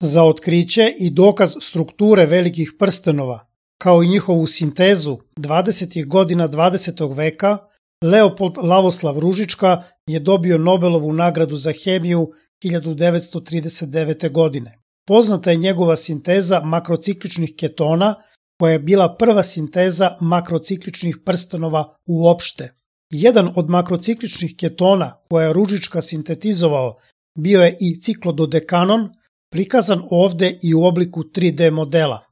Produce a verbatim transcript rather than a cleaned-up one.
Za otkriće i dokaz strukture velikih prstenova, kao i njihovu sintezu dvadesetih godina dvadesetog veka, Leopold Lavoslav Ružička je dobio Nobelovu nagradu za hemiju hiljadu devetsto trideset devete. godine. Poznata je njegova sinteza makrocikličnih ketona, koja je bila prva sinteza makrocikličnih prstenova uopšte. Jedan od makrocikličnih ketona koja je Ružička sintetizovao bio je i ciklododekanon, prikazan ovde i u obliku tri D modela.